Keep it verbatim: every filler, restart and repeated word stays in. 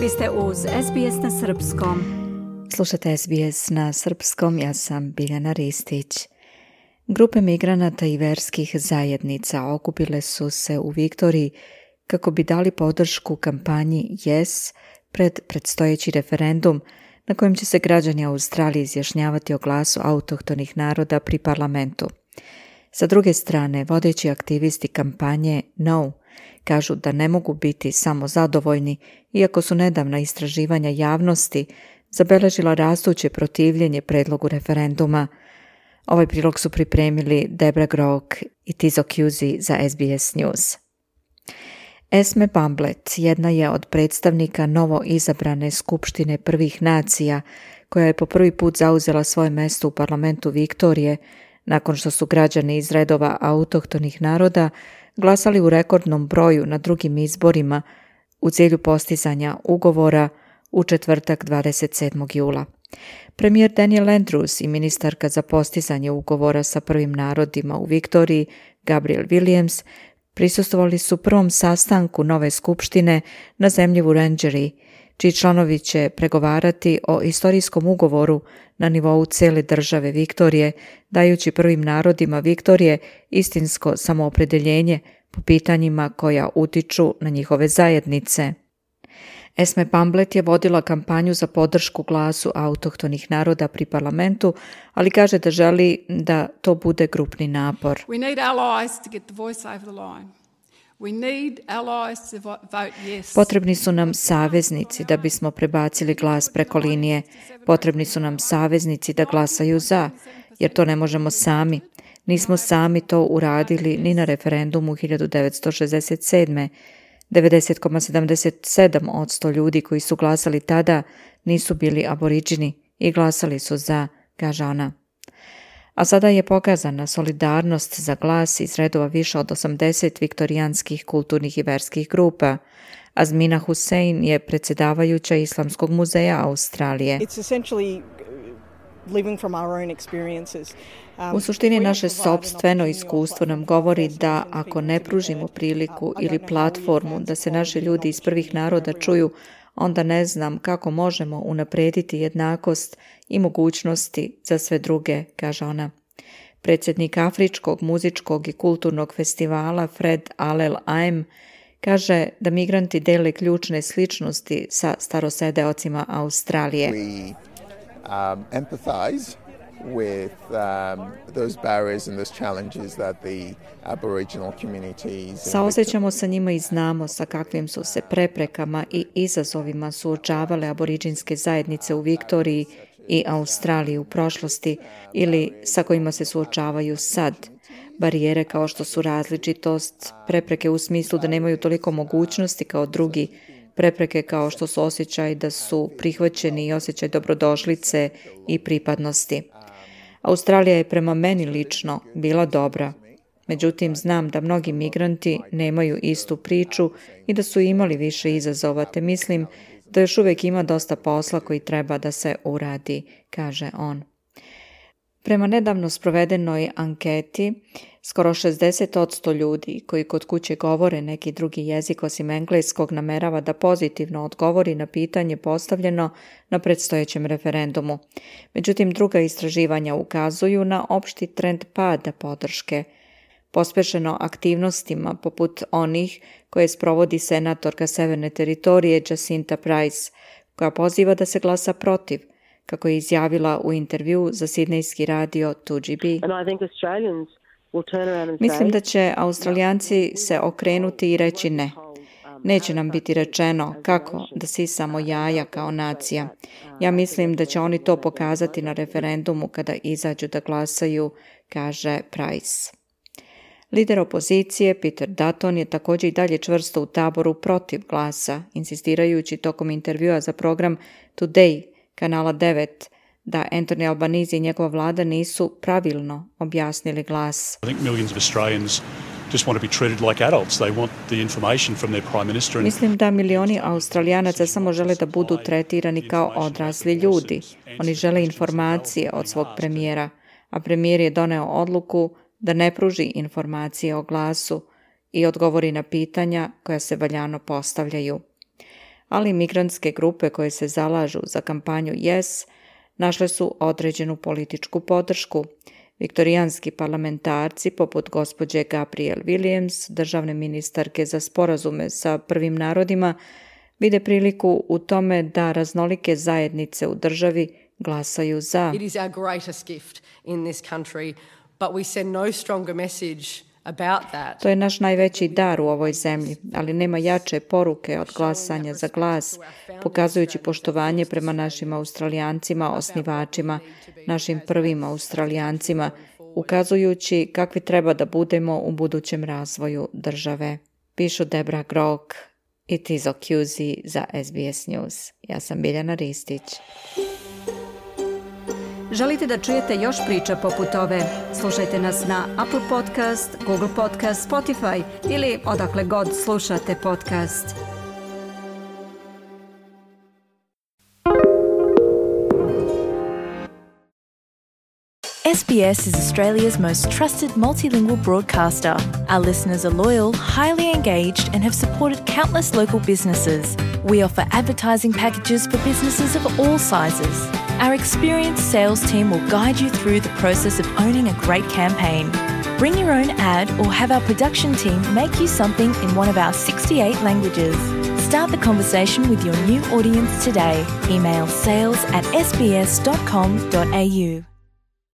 Vi ste uz S B S na srpskom. Slušate S B S na srpskom, ja sam Biljana Ristić. Grupe migranata i verskih zajednica okupile su se u Viktoriji kako bi dali podršku kampanji Yes pred predstojeći referendum na kojem će se građani Australije izjašnjavati o glasu autohtonih naroda pri parlamentu. Sa druge strane, vodeći aktivisti kampanje No kažu da ne mogu biti samo zadovoljni, iako su nedavna istraživanja javnosti zabeležila rastuće protivljenje predlogu referenduma. Ovaj prilog su pripremili Debra Grok i Tizo Cusi za S B S News. Esme Pumblet jedna je od predstavnika novo izabrane Skupštine prvih nacija, koja je po prvi put zauzela svoje mjesto u parlamentu Viktorije, nakon što su građani iz redova autohtonih naroda glasali u rekordnom broju na drugim izborima u cilju postizanja ugovora u četvrtak dvadeset sedmog jula. Premijer Daniel Andrews i ministarka za postizanje ugovora sa prvim narodima u Viktoriji, Gabrielle Williams, prisustvovali su prvom sastanku nove skupštine na zemlji Wurundjeri, čiji članovi će pregovarati o istorijskom ugovoru na nivou cijele države Viktorije, dajući prvim narodima Viktorije istinsko samoopredeljenje po pitanjima koja utiču na njihove zajednice. Esme Pumblet je vodila kampanju za podršku glasu autohtonih naroda pri parlamentu, ali kaže da želi da to bude grupni napor. We need allies to get the voice over the line. We need allies to vote yes. Potrebni su nam saveznici da bismo prebacili glas preko linije. Potrebni su nam saveznici da glasaju za, jer to ne možemo sami. Nismo sami to uradili ni na referendumu hiljadu devetsto šezdeset sedme. devedeset zarez sedamdeset sedam posto ljudi koji su glasali tada nisu bili aboriđini i glasali su za, kaže ona. A sada je pokazana solidarnost za glas iz redova više od osamdeset viktorijanskih kulturnih i verskih grupa. Azmina Hussein je predsjedavajuća Islamskog muzeja Australije. U suštini naše sopstveno iskustvo nam govori da ako ne pružimo priliku ili platformu da se naši ljudi iz prvih naroda čuju, onda ne znam kako možemo unaprijediti jednakost i mogućnosti za sve druge, kaže ona. Predsjednik Afričkog muzičkog i kulturnog festivala Fred Alel Aim kaže da migranti dele ključne sličnosti sa starosedeocima Australije. We um, empathize with um, those barriers and those challenges that the Aboriginal communities. Saosjećamo sa njima i znamo sa kakvim su se preprekama i izazovima suočavale aboriđinske zajednice u Viktoriji i Australiji u prošlosti ili sa kojima se suočavaju sad. Barijere kao što su različitost, prepreke u smislu da nemaju toliko mogućnosti kao drugi, prepreke kao što su osjećaj da su prihvaćeni i osjećaj dobrodošlice i pripadnosti. Australija je prema meni lično bila dobra. Međutim, znam da mnogi migranti nemaju istu priču i da su imali više izazova, te mislim da još uvijek ima dosta posla koji treba da se uradi, kaže on. Prema nedavno sprovedenoj anketi, skoro šezdeset posto ljudi koji kod kuće govore neki drugi jezik osim engleskog namerava da pozitivno odgovori na pitanje postavljeno na predstojećem referendumu. Međutim, druga istraživanja ukazuju na opšti trend pada podrške, pospešeno aktivnostima poput onih koje sprovodi senatorka Severne teritorije Jacinta Price, koja poziva da se glasa protiv, kako je izjavila u intervju za sidnejski radio two G B. Mislim da će Australijanci se okrenuti i reći ne. Neće nam biti rečeno kako da sisamo jaja kao nacija. Ja mislim da će oni to pokazati na referendumu kada izađu da glasaju, kaže Price. Lider opozicije Peter Dutton je također i dalje čvrsto u taboru protiv glasa, insistirajući tokom intervjua za program Today kanala devet da Anthony Albanese i njegova vlada nisu pravilno objasnili glas. Mislim da milioni Australijanaca samo žele da budu tretirani kao odrasli ljudi. Oni žele informacije od svog premijera, a premijer je doneo odluku da ne pruži informacije o glasu i odgovori na pitanja koja se valjano postavljaju. ali migrantske grupe koje se zalažu za kampanju Yes našle su određenu političku podršku. Viktorijanski parlamentarci, poput gospođe Gabrielle Williams, državne ministarke za sporazume sa prvim narodima, vide priliku u tome da raznolike zajednice u državi glasaju za. It is our greatest gift in this country, but we send no stronger message about that. To je naš najveći dar u ovoj zemlji, ali nema jače poruke od glasanja za glas, pokazujući poštovanje prema našim Australijancima, osnivačima, našim prvim Australijancima, ukazujući kakvi treba da budemo u budućem razvoju države. Pišu Debra Grok i Tizo Cusi za S B S News. Ja sam Biljana Ristić. Želite da čujete još priča poput ove? Slušajte nas na Apple Podcast, Google Podcast, Spotify ili odakle god slušate podcast. S B S is Australia's most trusted multilingual broadcaster. Our listeners are loyal, highly engaged, and have supported countless local businesses. We offer advertising packages for businesses of all sizes. Our experienced sales team will guide you through the process of owning a great campaign. Bring your own ad or have our production team make you something in one of our sixty-eight languages. Start the conversation with your new audience today. Email sales at s b s dot com dot a u.